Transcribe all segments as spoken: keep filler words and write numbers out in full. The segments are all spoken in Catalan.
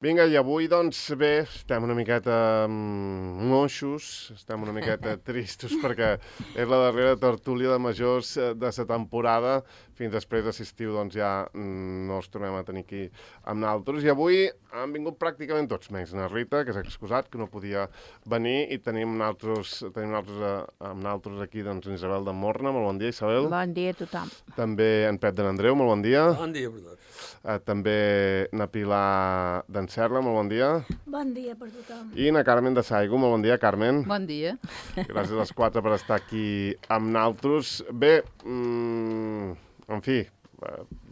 Vinga, i avui, doncs, bé, estem una miqueta mm, moixos, estem una miqueta tristos, perquè és la darrera tertúlia de majors de la temporada. Fins després d'estiu, doncs, ja mm, no els tornem a tenir aquí amb naltros. I avui han vingut pràcticament tots, menys na Rita, que s'ha excusat, que no podia venir, i tenim naltros, tenim naltros, amb naltros aquí, doncs, en Isabel de Morna. Molt bon dia, Isabel. Bon dia a tothom. També en Pep de n'Andreu, molt bon dia. Bon dia per tots. Uh, també na Pilar d'en Serra, molt bon dia. Bon dia per tothom. I na Carmen de Saigo, molt bon dia, Carmen. Bon dia. Gràcies a les quatre per estar aquí amb naltros. Bé, mm, en fi,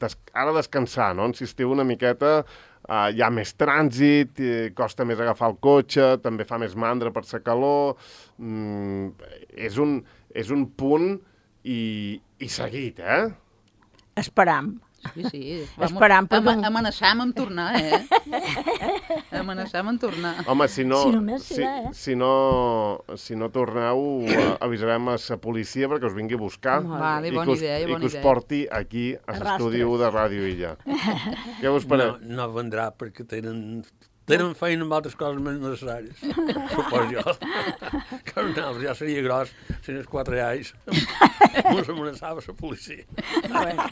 des, ara descansar, no? En estiu una miqueta, uh, hi ha més trànsit, costa més agafar el cotxe, també fa més mandra per la calor. Mm, és, un, és un punt i, i seguit, eh? Esperam. Sí, sí. Esperam, perquè... Am amenaçam amb tornar, eh? Amenaçam amb tornar. Home, si no, Si només si, serà, eh? si, no, si no torneu, avisarem a la policia perquè us vingui a buscar Vale, i, bona que us, idea, i bona que us idea. porti aquí a l'estudi u de Ràdio Illa. Què us No, pareu? no vendrà perquè tenen, tenen feina amb altres coses més necessàries. Supos jo. Que un altre ja seria gros, si no és quatre anys. Ens amenaçava la policia. Bueno,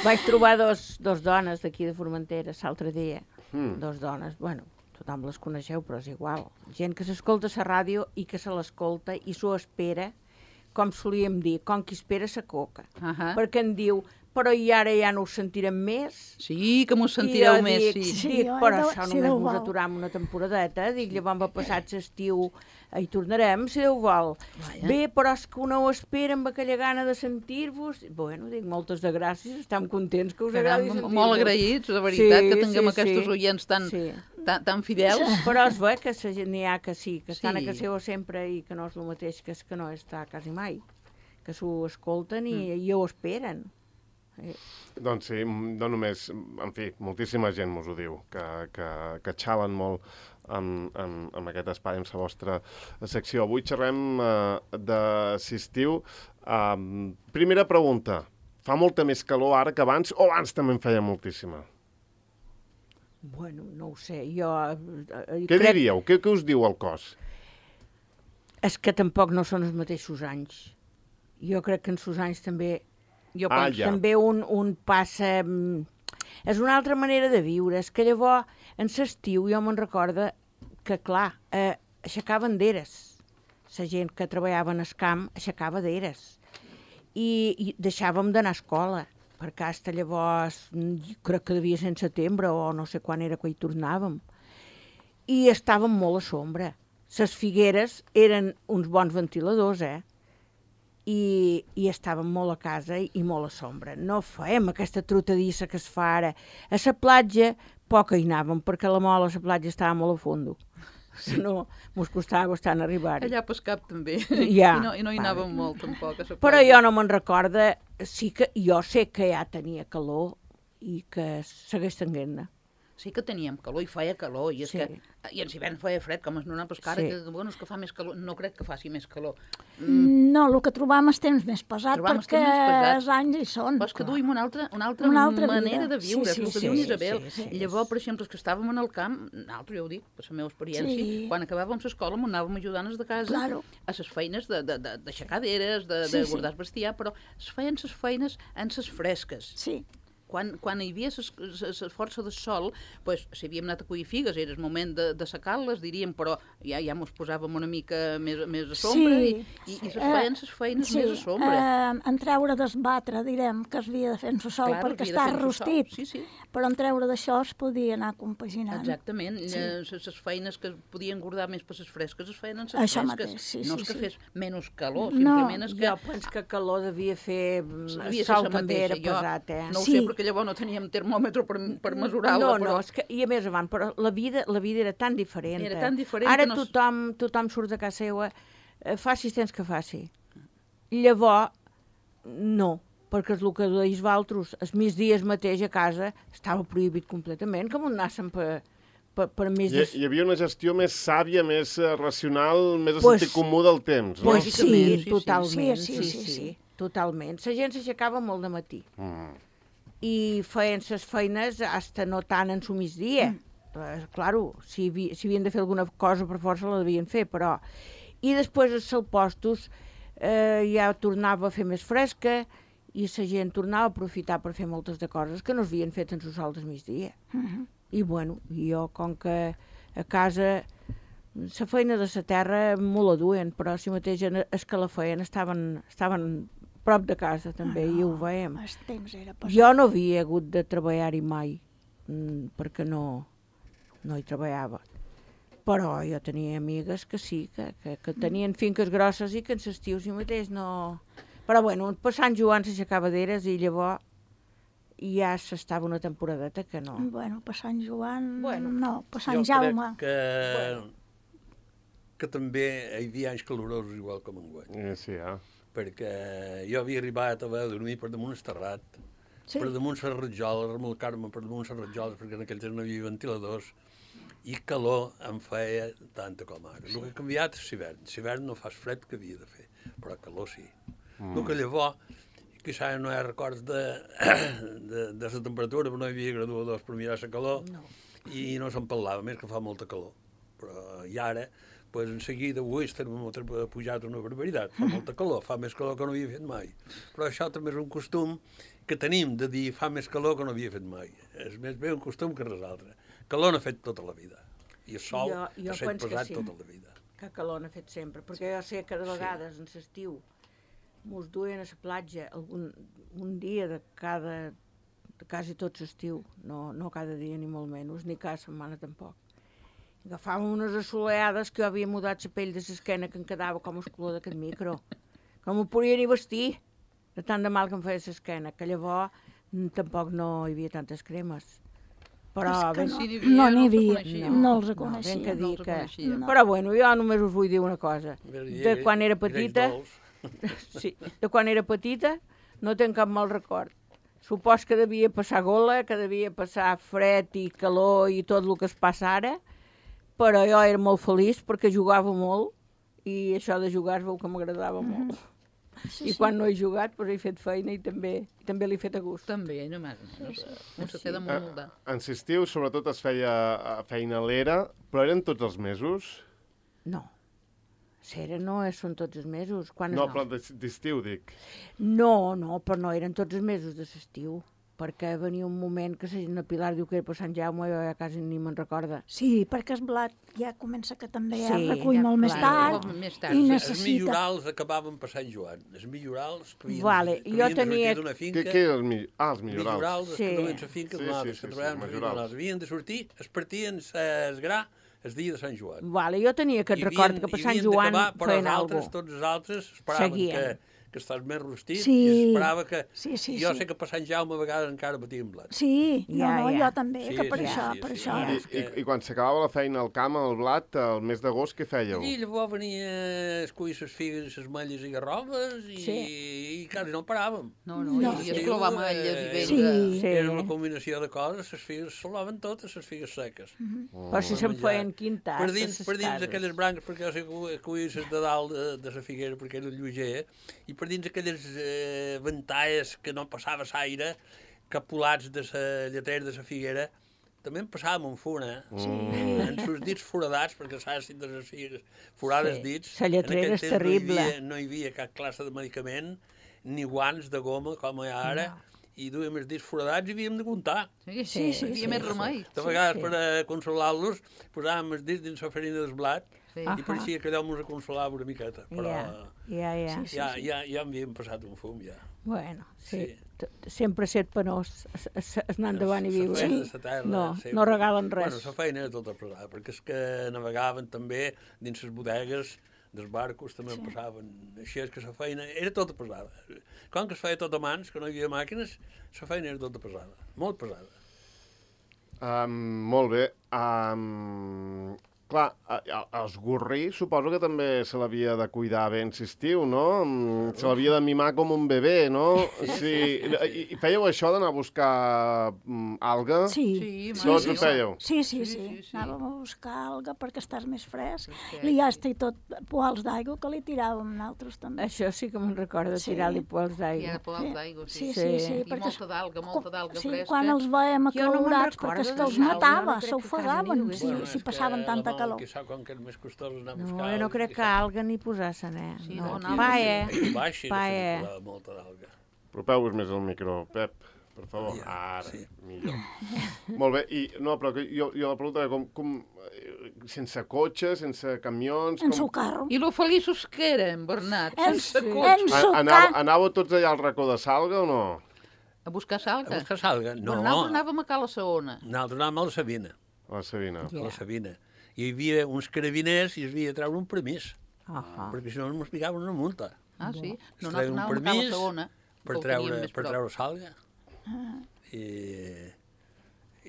vaig trobar dos, dos dones d'aquí de Formentera l'altre dia. Mm. Dos dones, bueno, tothom les coneixeu, però és igual. Gent que s'escolta a la ràdio i que se l'escolta i s'ho espera, com solíem dir, com qui espera sa coca. Ahà. Perquè em diu, però i ara ja no ho sentirem més? Sí, que m'ho I sentireu jo més, dic, sí. Sí, dic, jo, però Déu- això si només Déu mos vol. aturam una temporadeta. Dic, llavors va passat l'estiu, hi tornarem, si Déu vol. Vaja. Bé, però és que una ho espera amb aquella gana de sentir-vos. Bueno, dic, moltes de gràcies, estem contents que us agradi Caram, sentir-vos. molt agraïts, de veritat, Sí, que tinguem sí, aquests sí. oients tan, Sí. tan, tan fidels. Però es ve que se- n'hi ha que sí, que estan Sí. a casa seva sempre i que no és el mateix que és que no està quasi mai. Que s'ho escolten i, Mm. i ho esperen. Eh, Doncs sí, no només, en fi, moltíssima gent mos ho diu, que, que, que xalen molt amb, amb, amb aquest espai, amb la vostra secció. Avui xerrem uh, de l'estiu. Uh, primera pregunta, fa molta més calor ara que abans o abans també en feia moltíssima? Bueno, no ho sé, jo... Eh, Què crec... diríeu? Què, què us diu el cos? És que tampoc no són els mateixos anys. Jo crec que en sos anys també... Jo Ah, penso, ja. també un, un passa... mm, És una altra manera de viure. És que llavors, en l'estiu, jo me'n recorda que, clar, eh, aixecaven d'eres. La gent que treballava en el camp aixecava d'eres. I, I deixàvem d'anar a escola, perquè hasta llavors, mm, jo crec que devia ser en setembre o no sé quan era que hi tornàvem. I estàvem molt a sombra. Les figueres eren uns bons ventiladors, eh? I, i estàvem molt a casa i, i molt a sombra. No fèiem aquesta trotadissa que es fa ara. A la platja poc hi anàvem, perquè la mola a la platja estava molt a fondo. Si no, mos costava bastant arribar-hi. Allà pel cap també. Ja. I no, i no hi Vale. anàvem molt, tampoc. A la Però platja. jo no me'n recorda, sí que jo sé que ja tenia calor i que segueix tenint-ne. Sí que teníem calor i feia calor, i, és Sí. que, i en hivern feia fred, com es nona, però és que ara Sí. que, bueno, és que fa més calor, no crec que faci més calor. No, el que trobam és temps més pesat, Trobam els perquè temps més pesats. els anys hi són. Però és que clar. duim una altra, una altra, Una altra manera vida. de viure, Sí, és el sí, que diu sí, Isabel. sí, sí. Llavors, per exemple, els que estàvem en el camp, nosaltres, ja ho dic, per la meva experiència, Sí. quan acabàvem l'escola m'ho anàvem ajudant els de casa Claro. a les feines de, de, de, d'aixecar d'eres, de, Sí, de sí. guardar el bestiar, però es feien les feines en les fresques. Sí, Quan, quan hi havia la força del sol, pues, si havíem anat a collir figues, era el moment de, de secar-les, diríem, però ja ja mos posàvem una mica més, més a sombra Sí. i, i, i es Eh, feien les feines sí, més a sombra. eh, en treure d'esbatre, direm, que es havia de fer en el sol Clar, perquè havia de està fer-se sol. rostit, Sí, sí. però en treure d'això es podia anar compaginant. Exactament, Sí. les sí. feines que podien guardar més per les fresques es feien en les Això fresques. mateix, sí, no sí, és que sí. fes menys calor, No. simplement és que Jo penso que calor devia fer... mm, El devia ser sol la també mateixa. era Jo pesat, eh? No ho Sí. sé, perquè llavors no teníem termòmetre per, per mesurar-la, No, però... no, és que, i a més avant, però la vida, la vida era tan diferent. Era eh? tan diferent Ara que no es- tothom, tothom surt de casa seva, eh, faci temps que faci. Llavors, no, perquè és el que deies vosaltres, els migdies mateix a casa estava prohibit completament, que m'ho anàssim per, per, per més... Hi, De... hi havia una gestió més sàvia, més eh, racional, més a Pues- sentit comú del temps, no? Pues Lògicament, sí, sí, sí. totalment, Sí, sí, sí, sí, sí, sí. totalment. La gent s'aixecava molt de matí Mm. i feien les feines hasta no tant en su migdia. Mm. eh, claro, si, havi, si havien de fer alguna cosa per força la devien fer, però... I després els salpostos eh, ja tornava a fer més fresca i la gent tornava a aprofitar per fer moltes de coses que no s'havien fet en el sol del migdia. Uh -huh. I bueno, jo com que a casa la feina de la terra molt la duien, però si mateix els que la feien estaven, estaven prop de casa també, Ah, no, i ho veiem. El temps era pesat. Jo no havia hagut de treballar-hi mai, mm, perquè no, no hi treballava. Però jo tenia amigues que sí, que, que, que tenien finques grosses i que en l'estiu si mateix no... Però bueno, per Sant Joan s'aixecava d'eres i llavors ja s'estava una temporadeta que no... Bueno, per Sant Joan... Bueno. No, per Sant Jo Jaume. crec que, Bueno. que també hi havia anys calorosos igual com enguany. Eh, sí, eh? Perquè jo havia arribat a haver de dormir per damunt el terrat, Sí. per damunt les ratjoles, remolcar-me per damunt les ratjoles, perquè en aquell temps no hi havia ventiladors, i calor em feia tanta com ara. El que ha canviat és l'hivern. L'hivern no fas fred que havia de fer, però calor sí. Mm. El que llavors, quizà no hi ha records de, de, de la temperatura, però no hi havia graduadors per mirar la calor, No. i no se'n parlava, més que fa molta calor. Però i ara, pues, en seguida, avui el termòmetre ha pujat una barbaritat, fa molta calor, fa més calor que no havia fet mai. Però això també és un costum que tenim de dir fa més calor que no havia fet mai. És més bé un costum que res altre. Calor n'ha fet tota la vida, i el sol Jo- jo ha set penso que pesat sí. tota la vida. Que calor n'ha fet sempre, perquè jo sé que de vegades en l'estiu mos duien a la platja algun, un dia de cada, de quasi tot l'estiu, no, no cada dia ni molt menys, ni cada setmana tampoc. Agafàvem unes assoleades que jo havia mudat la pell de l'esquena que em quedava com el color d'aquest micro, que no m'ho podia ni vestir, de tant de mal que em feia l'esquena, que llavors mm, tampoc no hi havia tantes cremes. Però, És que ben, no. Si n'hi No havia, n'hi els havia, reconeixíem. no els ben reconeixia. que no dir els que... reconeixia. No. Però bueno, jo només us vull dir una cosa. De quan era petita, sí, de quan era petita, no tenc cap mal record. Supos que devia passar gola, que devia passar fred i calor i tot el que es passa ara, però jo era molt feliç perquè jugava molt i això de jugar es veu que m'agradava molt. Sí, I sí. quan no he jugat, doncs he fet feina i també, i també l'he fet a gust. També, no més. Un se té de moldar. En l'estiu, sobretot, es feia eh, feina a l'era, però eren tots els mesos? No. Cera no és, són tots els mesos. Quan No, però d'es- d'estiu, dic. No, no, però no eren tots els mesos de l'estiu, perquè venia un moment que la Pilar diu que era per Sant Jaume i jo ja quasi ni me'n recorda. Sí, perquè el blat ja comença que també Sí, es recull ja, molt més clar. tard Més tard, i sí. Els necessita... millorals acabaven per Sant Joan. Els millorals que havien, Vale, que jo havien de tenia- sortir d'una Què, finca... què eren els, mi... ah, els millorals? Millorals, els Sí. que duien la finca, Sí, sí, sí, que sí, sí, treballaven per majorals. millorals. Havien de sortir, es partien el gra el dia de Sant Joan. Vale, jo tenia aquest I record havien- que per i Sant havien Joan d'acabar, però feien els alguna altres, cosa. tots els altres esperaven Seguien. que, que estàs més rostit Sí. i esperava que... Sí, sí, jo sí. sé que per Sant Jaume a vegades encara batien blat. Sí, no, Ja, no, ja. jo també, Sí, que per sí, això, sí, per sí, això. ja. I, és i, que- I quan s'acabava la feina al camp, al blat, el mes d'agost, què fèieu? I llavors venia a escollir les figues, les malles i garrobes i, Sí. i quasi no paràvem. No, no, No. i es clovar malles i Eh, vinga. Sí. Sí. Era una combinació de coses, les figues s'olaven totes, les figues seques. Però si Per se'n menjar. feien quintas. Per dins, a per ses dins cases. aquelles branques, perquè jo sé que collia les de dalt de, de la figuera, perquè era lleuger, i per dins aquelles eh, ventalles que no passava l'aire, capulats de la lletera de la figuera, també en passàvem un funa, Sí. en sus dits foradats, perquè saps si de les figues forades Sí. dits. La lletrera en aquell és temps terrible. No hi, havia, no hi havia cap classe de medicament, ni guants de goma, com hi ha ara, No. i duíem els dits foradats i havíem de comptar. Sí, Sí, sí, sí, hi havia sí, més sí. remei. De vegades, sí. per a consolar-los, posàvem els dits dins la farina del blat Sí. i pareixia que allò ens consolava una miqueta. Però Ja, ja, ja. Sí, ja, ja, ja m'havíem passat un fum, ja. Bueno, sí. Sí. T- Sempre ser penós, es- es- es anar endavant i La viure. feina de la terra, No, sempre. no regalen res. Bueno, la feina era tota pesada, perquè és que navegaven també dins les bodegues dels barcos, també sí. passaven. Així és que la feina era tota pesada. Com que es feia tot a mans, que no hi havia màquines, la feina era tota pesada, molt pesada. Um, molt bé. Um, clar, els gorrí suposo que també se l'havia de cuidar bé en estiu, no? Se l'havia de mimar com un bebè, no? Sí. I fèieu això d'anar a buscar alga? Sí. Tots ho fèieu? Sí, sí, sí. Anàvem a buscar alga perquè estàs més fresc. I ja estic tot poals d'aigua que li tiràvem nosaltres també. Això sí que me'n recordo, tirar-li poals d'aigua. Hi ha poals d'aigua, sí. Sí, sí, sí. I molta d'alga, molta d'alga fresca. Sí, quan els veiem acalorats, perquè és que els matava, s'ofegaven, si passaven tanta calor. Qui sap com que és més costós anar a No, buscar... jo no crec que alga ni posar-se'n, eh? Sí, no, no, pa, eh? Baixi, Pa, no eh? sé, molta d'alga. Apropeu-vos més al micro, Pep, per favor. Ja, Ara, sí. millor. Molt bé, i no, però que jo, jo la pregunta com, com, sense cotxe, sense camions... En com... seu carro. I lo feliços que érem, Bernat, En- sense en cotxe. su A- Anàveu, ca- anàveu tots allà al racó de Salga o no? A buscar A salga. buscar salga? No, Nosaltres anàvem a Cala Saona. nosaltres anàvem a la Sabina, A la Sabina. a la Sabina. Hi havia uns carabiners i es havia de treure un permís, Ah, perquè si no ens picaven una multa. Ah, sí? Es No, treia nosaltres un anàvem a Cala permís Saona. per que ho treure, teníem més per prop. treure salga. I,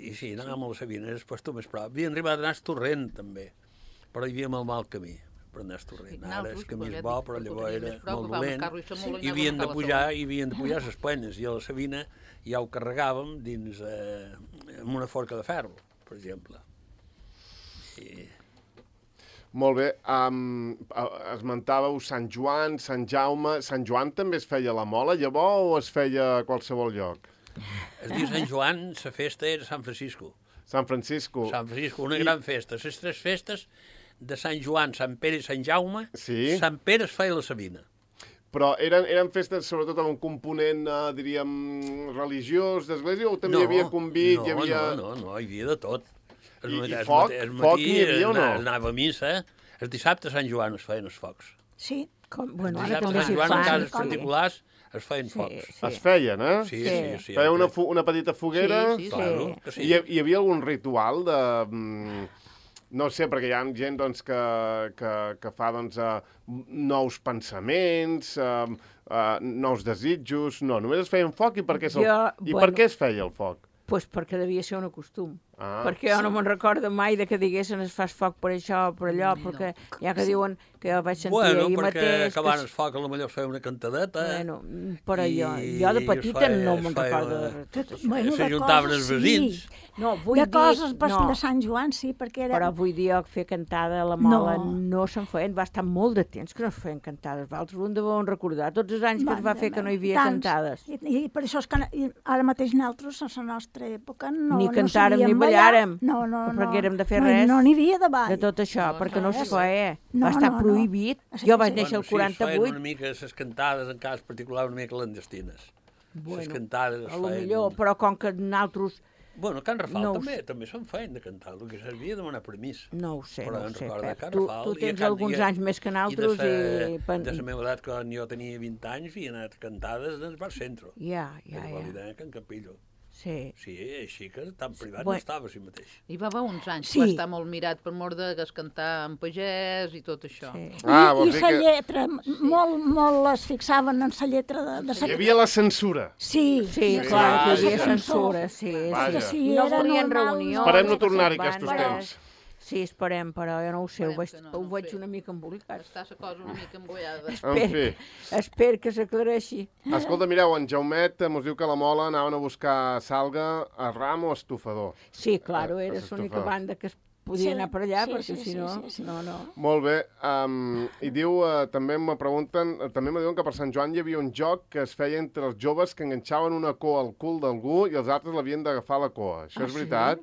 i sí, anàvem a la Sabina, després tu més prop. Havien arribat a anar a Torrent, també, però hi havíem el mal camí per anar a Torrent. Sí, Ara nosaltres, el camí com és ja bo, dic, però ho llavors teníem era més prop, molt agafàvem el dolent. carro i som molt I anàvem havien a de Cala pujar, Saona. i havien de pujar les penyes, i a la Sabina ja ho carregàvem dins, eh, amb una forca de ferro, per exemple. I... Molt bé, um, esmentàveu Sant Joan, Sant Jaume... Sant Joan també es feia a la Mola, llavors, o es feia a qualsevol lloc? Es diu Sant Joan, la festa era Sant Francisco. Sant Francisco. Sant Francisco, una I- gran festa. Les tres festes de Sant Joan, Sant Pere i Sant Jaume, Sí. Sant Pere es feia a la Sabina. Però eren, eren festes sobretot amb un component, eh, diríem, religiós, d'església, o també hi havia convit, no, hi havia... No, no, no, hi havia de tot. El I- matí- i el foc? matí- el Foc matí n'hi havia o no? ana- Anava a missa. El dissabte a Sant Joan es feien els focs. Sí. com, El bueno, ara dissabte també a Sant s'hi Joan, en fan. cases sí. particulars, es feien Sí, focs. sí. Es feien, eh? Sí, Sí. sí, sí. Feia una, home. fu una petita foguera... Sí, sí, Claro, sí. que sí. I hi, hi havia algun ritual de... mm, no sé, perquè hi ha gent doncs, que, que, que fa doncs, uh, nous pensaments, uh, uh, nous desitjos... No, només es feien foc i per què, se'l- Jo, I bueno. per què es feia el foc? Pues perquè devia ser un costum. Ah. Perquè jo no me'n recordo mai de que diguessin es fas foc per això o per allò, perquè ja que diuen que jo vaig sentir Bueno, ahir perquè mateix... acabant que... el foc, potser es feia una cantadeta. Bueno, però jo, I jo de es petita feia- no es me'n feia recordo una- de tot això. Bueno, de S'ajuntaven coses, els veïns. sí. No, vull De dir... coses pas- no, de Sant Joan, sí, perquè era... però vull dir jo que fer cantada a la Mola no, No. no se'n feien, va estar molt de temps que no es feien cantades. Vosaltres ho en deveu recordar, tots els anys que es va Mare fer que no hi havia meva, tants. cantades. I, I per això és que i ara mateix nosaltres, a la nostra època, no, Ni no cantàrem ni sabíem ballàrem. No, no, No no. aprenguérem de fer no, res No n'hi havia de ball. De tot això, No, perquè no es res. feia. No, va estar no, no. prohibit. Sí, Jo vaig sí. néixer el Bueno, sí, es feien quaranta-vuit. una mica les cantades, en cas particular, una mica clandestines. Les Bueno, cantades es a lo feien... millor, però com que nosaltres... Bueno, Can Rafal no ho també, sé. també se'n feien de cantar, el que servia de demanar permís. No ho sé, Però no ho en sé, recordo de Pep. Can Tu, Rafal tu i a tens Can- alguns i a- anys més que I de nosaltres sa, i... pen- de la meva edat, quan jo tenia vint anys, havia anat cantades en el bar centre. Ja, ja, Ja, ja. ja. A Can Capillo. Sí. Sí, així que tan privat Bueno. no estava així mateix. Hi va haver uns anys Sí. que va estar molt mirat per mort de que es cantar en pagès i tot això. Sí. Ah, I, vols i dir la que lletra, molt, molt es fixaven en la lletra de, de sa... hi havia la censura. Sí, Sí, Sí, clar, sí, hi sí, havia sí. censura, sí. Vaja. sí. Sí, No era volien normal, reunions. Esperem no que tornar-hi se'n aquests van, temps. Sí, esperem, però jo no ho sé, ho Esperem veig, que no, ho no veig sé. una mica embolicat. Està la cosa una mica embollada. En Espero, fi. espero que s'aclareixi. Escolta, mireu, en Jaumet mos diu que a la Mola anaven a buscar salga a ram o estufador. Sí, claro, Eh, era es l'única estufava. banda que es podia Sí, anar per allà, sí, perquè sí, si sí, no, sí, sí. no, no. Molt bé, um, i diu, uh, també me pregunten, uh, també me diuen que per Sant Joan hi havia un joc que es feia entre els joves que enganxaven una coa al cul d'algú i els altres l'havien d'agafar a la coa. Això Ah, és sí? veritat?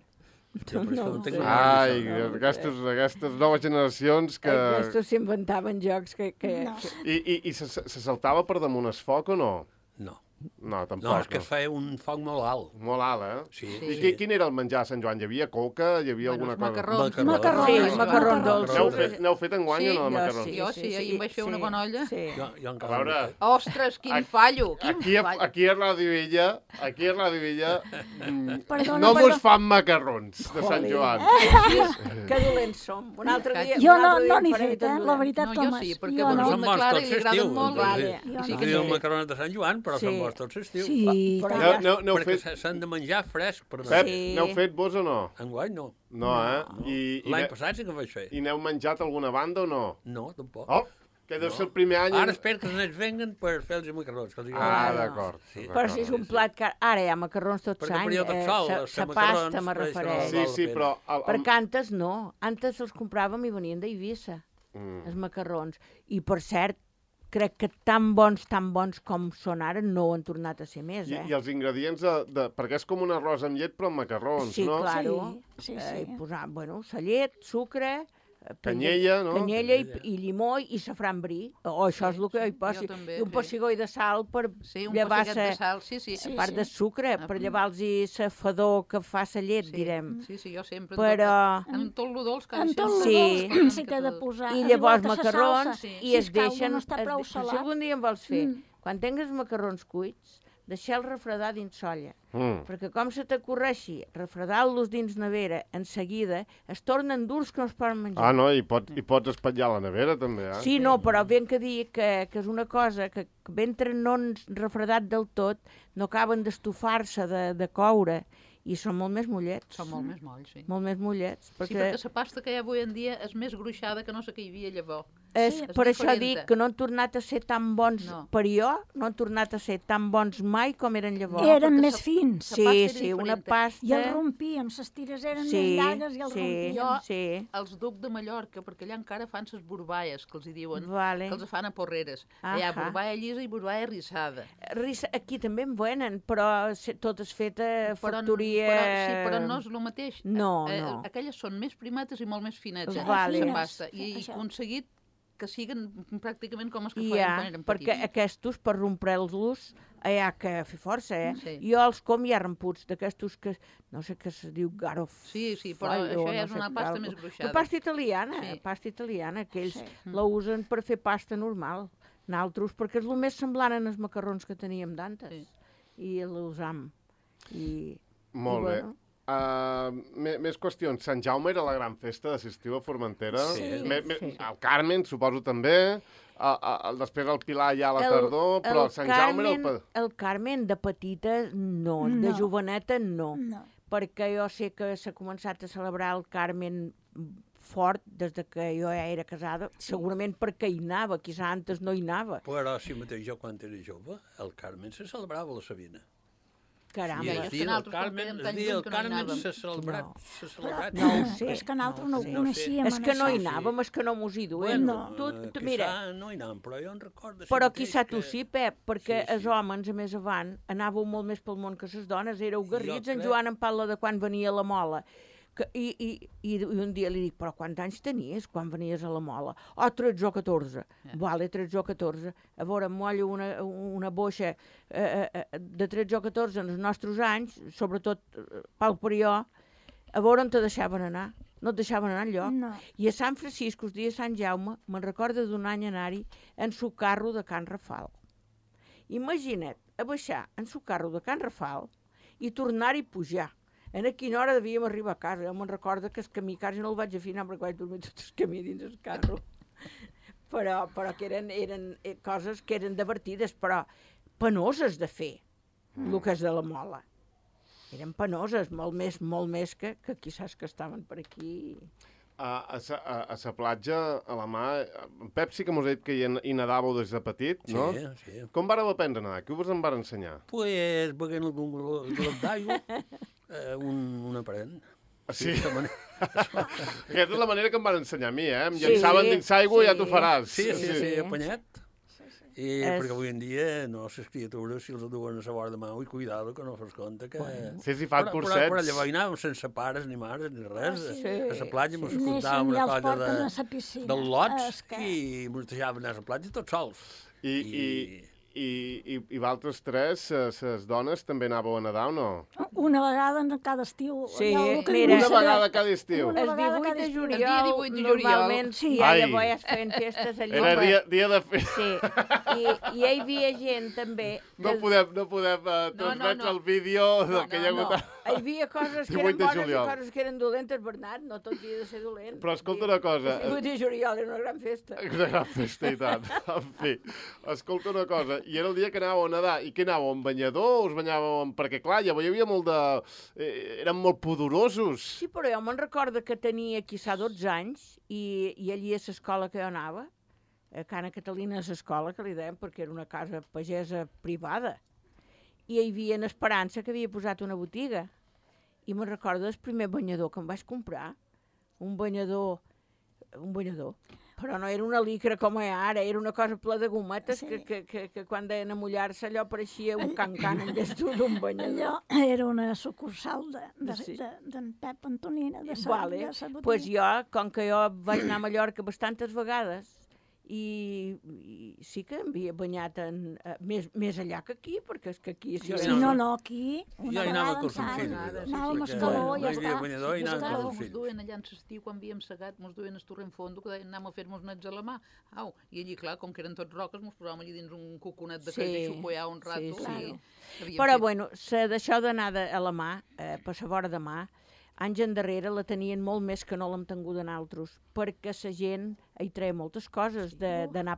Jo per No això ho no tinc sé. memòria Ai, d'això. no, aquestes, aquestes noves generacions que... Aquestos s'inventaven jocs que... que... No. I, i, i se, se saltava per damunt el foc o no? No, No, tampoc. no, és que feia un foc molt alt. Molt alt, eh? Sí, I sí. qui, quin era el menjar a Sant Joan? Hi havia coca? Hi havia Bueno, alguna els cosa? macarrons. Macarrons. Sí, Macarrons. macarrons dolços. N'heu fet, n'heu fet enguany o no, de Sí, macarrons? sí. Jo ahir em vaig fer una bona olla. Sí. Jo, jo A encara veure, no he fet. Ostres, quin Aquí- fallo, quin aquí, a, fallo. aquí a Ràdio Illa, aquí a Ràdio Illa, mm, Perdona, no mos perdona. fan macarrons de Sant Jolín. Joan. Que dolents som. Un altre dia... Jo un no, altre dia no en n'he faré fet, tot eh? dolent. La veritat, No, jo Tomàs. sí, perquè jo bueno, no. Són Són de bons Clara tots i li agraden l'estiu. molt. Vale. Jo Sí no. que diuen macarons de Sant Joan, però Sí, són bons arròs tot l'estiu. Sí, però tant. ja- N'heu- n'heu Perquè fet- s'han de menjar fresc per Pep, Sí. n'heu fet vos o no? Enguany no. No, eh? no. I, i, L'any ne- passat sí que vaig fer. I n'heu menjat alguna banda o no? No, tampoc. Oh, que deu ser el primer any... Ara espero que els nens venguen per fer els macarrons. Que els Ah, Ah, no. d'acord. Sí. Però si és un plat que... Ara hi ha macarrons tot Perquè l'any. per jo tot sol, sa, els sa macarrons, pasta me per això no refereix. Sí, val sí, la però... El, el, Perquè antes no. Antes els compràvem i venien d'Eivissa, Mm. els macarrons. I, per cert, crec que tan bons, tan bons com són ara, no ho han tornat a ser més, I, eh? I els ingredients de, de... Perquè és com un arròs amb llet, però amb macarrons, Sí, no? clar. Sí, sí, Eh, sí. i posar, bueno, sa llet, sucre... eh, Canyella, no? Canyella i, Canyella. i llimó i safran bri. O això és el que hi posi. jo també, I un sí. pessigó de sal per Sí, un llevar-se... pessigat de sal, sí, sí. Sí, A part de sucre, Ah, per mm. llevar-los sa fador que fa sa llet, Sí, direm. Sí, sí, jo sempre. Però... En tot lo dolç que En tot el Sí. dolç s'hi té de posar. I igual llavors que sa macarrons salsa. sí. i Si es caldo deixen... no està es prou de- Si salat. algun dia en vols fer, Mm. quan tingues macarrons cuits, deixeu-los refredar dins solla. Mm. Perquè com se t'ocorreixi refredar-los dins nevera, en seguida es tornen durs que no es poden menjar. Ah, no, i, pot, i pots espatllar a la nevera, també, eh? Sí, no, però ben que dir que, que és una cosa que, que mentre no han refredat del tot, no acaben d'estufar-se, de, de coure, i són molt més mollets. Són molt més molls, sí. Molt més mollets. Sí, Perquè, perquè la pasta que hi ha avui en dia és més gruixada que no sé què hi havia llavors. és, Sí, és per això diferent. dic que no han tornat a ser tan bons, No. per jo, no han tornat a ser tan bons mai com eren llavors. Eren perquè més sa- fins. sa Sí, pasta era sí, una diferent. pasta... I el rompíem, les tires eren sí, més llargues i el sí, rompíem. Jo- sí, Els duc de Mallorca, perquè allà encara fan les borballes, que els hi diuen, vale. que els fan a porreres. Hi ha Ahà. borballa llisa i borballa rissada. Risa, aquí també en venen, però se- tot és feta Però, factoria... però, sí, però no és el mateix. No, Eh, eh, no. Aquelles són més primetes i molt més finetes, eh, Vale. la Fines, pasta. I he això. aconseguit que siguen pràcticament com els que I feien ja, quan eren perquè petits. aquestos, per rompre'ls-los, hi ha que fer força, eh? Sí. Jo els com ja remputs, d'aquestos que, no sé què se diu, garof. Sí, sí, però això ja és una pasta més gruixada. La pasta italiana, Sí. pasta italiana, que ells Sí. la usen per fer pasta normal. Naltros, perquè és el més semblant als macarrons que teníem d'antes. Sí. I l'usam. I, Molt i bé. bueno, Uh, més, més qüestions. Sant Jaume era la gran festa d'estiu a Formentera. Sí. Me, me, Sí. El Carmen, suposo, també. Uh, uh, després el Pilar ja a la tardor, però el Sant Jaume era el... Carmen, pa- el Carmen de petita no, de No. joveneta no. No. Perquè jo sé que s'ha començat a celebrar el Carmen fort des de que jo ja era casada, Sí. segurament perquè hi anava, quizà antes no hi anava. Però si mateix jo, quan era jove, el Carmen se celebrava a la Sabina. Caramba. I Ja, el és que dia del nosaltres, com Carmen, fèiem el tan dia lluny del que no hi Carmen anàvem. s'ha celebrat, No. s'ha celebrat. No ho No, sé. és que nosaltres no, no ho ho sé. coneixíem. És que no hi en això. anàvem, és que no mos hi duem. Bueno, tu, eh, tu, quizà mira, no hi anàvem, però jo en recordo... però mateix quizà tu que- sí, Pep, perquè Sí, sí. els homes, a més avant, anàveu molt més pel món que les dones, éreu garrits, en crec- Joan em parla de quan venia a la Mola. Que, i, i, i, I un dia li dic, però quants anys tenies quan venies a la Mola? Oh, tretze o catorze. Ja. Vale, tretze o catorze. A veure, em mollo una, una boixa eh, eh, de tretze o catorze en els nostres anys, sobretot eh, pel Perió, a veure on te deixaven anar. No et deixaven anar enlloc. No. I a Sant Francisco, el dia de Sant Jaume, me'n recorda d'un any anar-hi en su carro de Can Rafal. Imagina't, a baixar en su carro de Can Rafal i tornar-hi a pujar. En a quina hora devíem arribar a casa. Jo me'n recordo que el camí quasi no el vaig afinar perquè vaig dormir tot el camí dins el carro. però, però que eren, eren eh, coses que eren divertides, però penoses de fer, mm. el que és de la Mola. Eren penoses, molt més, molt més que, que quizás que estaven per aquí. A, a, sa, a, a sa platja, a la mà, en Pep sí que mos ha dit que hi, hi nedàveu des de petit, no? Sí, sí. Com vareu aprendre a nedar? Qui us en va ensenyar? Pues, beguent algun glo- glop d'aigua, eh, un, un aparent. Sí. de manera- Aquesta és la manera que em van ensenyar a mi, eh? Em Sí, llençaven dins l'aigua i ja sí. t'ho faràs. Sí, sí, sí, Sí. apanyat. I És- perquè avui en dia, no, les criatures, si els duen a la vora de mà, i cuidado, que no fos compte que... Sí, sí, fan però, cursets. Però, però llavors hi anàvem sense pares, ni mares, ni res. sí. A la platja ens Neixen contàvem i una els cosa porten de, a la piscina. del lots És que- i ens deixaven anar a la platja tots sols. I, i, i, i, i vosaltres tres, les dones, també anàveu a nedar o no? Una vegada en cada estiu. Sí, Ja el que mira. vull Una saber- vegada cada estiu. Una El vegada divuit cada de estiu. El dia juliol, divuit de juliol. normalment, sí, ja Ai. llavors ja es feien festes allà. Era per- dia, dia de fer... Sí, i, i hi havia gent també... No que- podem, no podem uh, No, no, transmetre no. el vídeo No, del que hi ha no, hagut... no. Hi havia coses que eren bones i coses que eren dolentes, Bernat, no tot havia de ser dolent. Però escolta una cosa... El divuit de juliol era una gran festa. Una gran festa, i tant. En fi, escolta una cosa, i era el dia que anàveu a nedar, i què anàveu, en banyador, us banyàveu? Perquè, clar, ja hi havia molt de... Eh, eren molt pudorosos. Sí, però jo me'n recordo que tenia, quizà, dotze anys, i, i allí a l'escola que jo anava, a Cana Catalina, a l'escola, que li deien, perquè era una casa pagesa privada, i hi havia en Esperança que havia posat una botiga. I me'n recordo del primer banyador que em vaig comprar, un banyador, un banyador, però no era una licra com ara, era una cosa ple de gometes sí. que, que, que, que quan deien a mullar-se allò pareixia un can-can en vez d'un banyador. Allò era una sucursal d'en de, de, de, de Pep Antonina, de sa, vale. de sa botiga. Pues jo, com que jo vaig anar a Mallorca bastantes vegades, I, i sí que m'havia banyat en, uh, més, més allà que aquí, perquè és que aquí... Sí, sí no, no, aquí una vegada en l'any anàvem a Escaló i ja està. Banyador i anàvem Escaló, amb mos fills. duen allà en l'estiu, quan havíem segat, mos duen el torrent fondo, que deien anem a fer-nos nets a la mà. Au, i allí, clar, com que eren tots roques, mos posàvem allí dins un coconet de Sí, sí, i xupoiar un rato. sí, sí. I Però, fet... bueno, d'això d'anar a la mà, eh, per la vora de mà, anys endarrere la tenien molt més que no l'hem tingut en altres, perquè la gent hi treia moltes coses, d'anar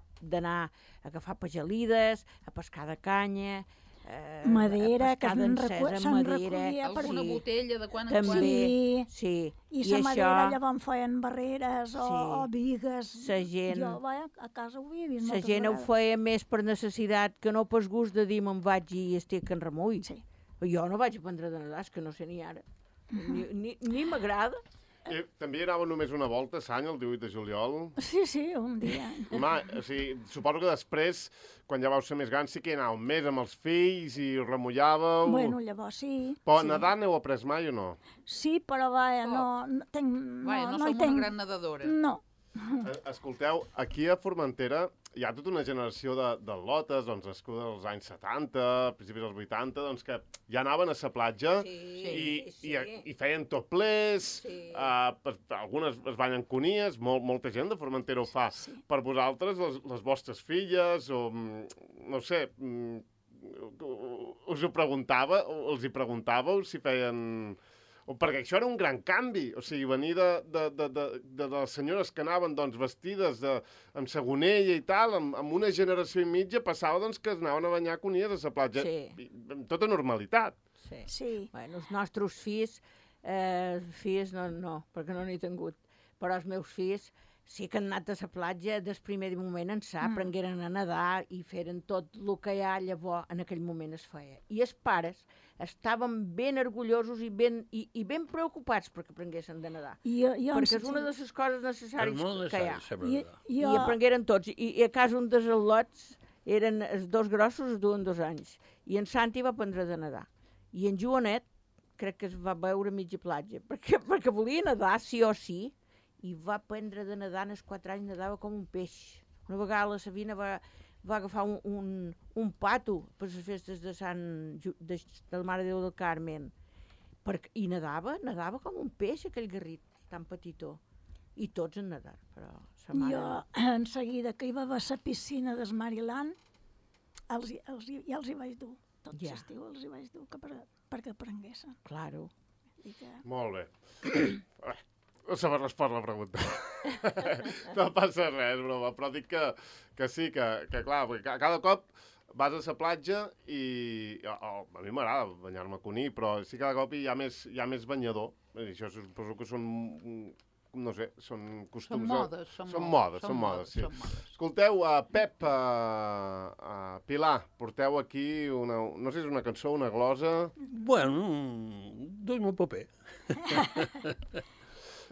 a agafar pagelides, a pescar de canya, eh, madera, a pescar d'encesa, madera... Alguna sí, botella de quan en també, quan. Sí, sí. i I la això, madera llavors feien barreres o, Sí. o vigues. Sa gent- Jo vaja, a casa ho havia vist la moltes gent ho vegades. feia més per necessitat que no per gust de dir me'n vaig i estic en remull. Sí. Jo no vaig aprendre de nedar, és que no sé ni ara. Ni, ni, ni m'agrada. Eh, també anava només una volta a Sany, el divuit de juliol. Sí, sí, un dia. Ma, o sigui, suposo que després, quan ja vau ser més grans, sí que hi anàveu més amb els fills i us remullàveu. Bueno, llavors sí. Però sí. nedar n'heu après mai o no? Sí, però vaja, no, no, tenc, no, Vaja, no, no hi som tenc... una gran nedadora. No. Eh, Escolteu, aquí a Formentera hi ha tota una generació de, de lotes, doncs, nascudes als anys setanta, principis dels vuitanta, doncs, que ja anaven a la platja Sí, i, sí. i, i feien topless, Sí. uh, per, algunes es banyen conies, molt, molta gent de Formentera ho fa. Sí. Per vosaltres, les, les vostres filles, o mm, no sé, mm, us ho preguntava, o els hi preguntàveu si feien... O perquè això era un gran canvi, o sigui, venir de, de, de, de, de les senyores que anaven doncs, vestides de, amb segonella i tal, amb, amb una generació i mitja, passava doncs, que es anaven a banyar conies a la platja, Sí. i, amb tota normalitat. Sí. Sí. Bueno, els nostres fills, eh, fills no, no, perquè no n'he tingut, però els meus fills sí que han anat a la platja des primer moment ençà, mm. aprengueren a nedar i feren tot el que ja llavors en aquell moment es feia. I els pares estaven ben orgullosos i ben, i, i ben preocupats perquè aprenguessin de nedar. I, jo, jo perquè és una de les coses necessàries És molt que hi ha. necessari saber I, nedar. I jo, aprengueren tots. I, i a casa un dels al·lots eren els dos grossos, es duen dos anys. I en Santi va aprendre de nedar. I en Joanet crec que es va veure a mitja platja, perquè, perquè volia nedar sí o sí, i va aprendre de nedar, als quatre anys nedava com un peix. Una vegada la Sabina va, va agafar un, un, un pato per les festes de Sant Ju- de, de la Mare de Déu del Carmen, perquè, i nedava, nedava com un peix, aquell garrit tan petitó. I tots en nedar, però sa mare... jo en seguida que hi va a la piscina del Maryland, els, hi- els, hi- ja els hi vaig dur. Tot Ja. l'estiu els hi vaig dur que per, perquè aprenguessin. Claro. I que... Molt bé. Eh, No saber respondre la pregunta. No passa res, broma, però dic que, que sí, que, que clar, perquè ca- cada cop vas a la platja i... O, o, a mi m'agrada banyar-me a Cuní, però sí que cada cop hi ha més, hi ha més banyador. I això suposo que són, no sé, són costums... Són modes, són són modes, modes, són són modes, modes, sí. són modes. Escolteu, uh, Pep, uh, uh, Pilar, porteu aquí una... No sé si és una cançó, una glosa... Bueno, duim un paper.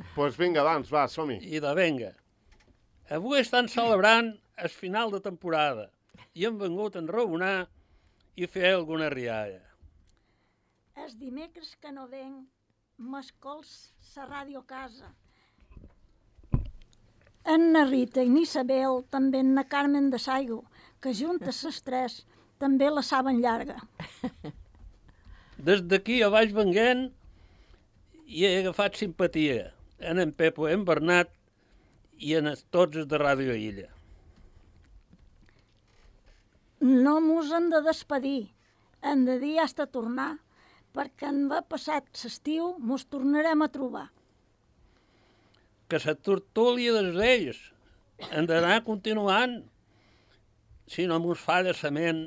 Doncs pues vinga, doncs, va, som-hi. I de venga. Avui estan celebrant el final de temporada i hem vengut a enraonar i fer alguna rialla. Els dimecres que no venc, m'escols la ràdio a casa. En na Rita i n'Isabel, també en na Carmen de Saigo, que juntes les tres també la saben llarga. Des d'aquí a baix venguent i he agafat simpatia en en Pepo, en Bernat i en els tots els de Ràdio Illa. No mos hem de despedir, hem de dir hasta tornar, perquè en va passat l'estiu mos tornarem a trobar. Que la tertúlia dels ells hem d'anar continuant. Si no mos falla la ment,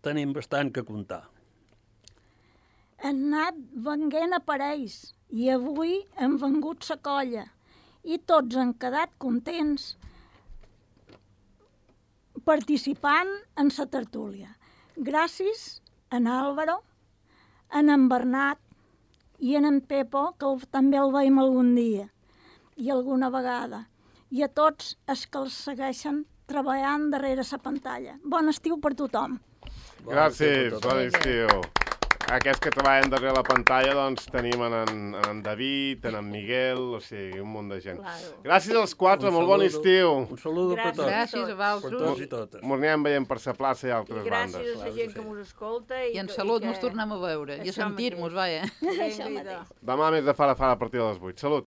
tenim bastant que comptar. Han anat venguent aparells i avui hem vengut la colla i tots han quedat contents participant en la tertúlia. Gràcies a en Álvaro, a en Bernat i a en Pepo, que el, també el veiem algun dia i alguna vegada, i a tots els que els segueixen treballant darrere la pantalla. Bon estiu per tothom. Gràcies, bon estiu. Aquests que treballen darrere la pantalla, doncs, tenim en, en, en David, en en Miguel, o sigui, un munt de gent. Claro. Gràcies als quatre, Un molt bon saludo. estiu. Un saludo per tots. Gràcies a Per vosaltres. tots i totes. Ens anirem veient per la plaça i I altres gràcies bandes. a la gent que mos escolta. I en salut que... mos tornem a veure i a Això sentir-nos, vaja. Vinga, idò. Demà més de fara fara a partir de les vuit. Salut.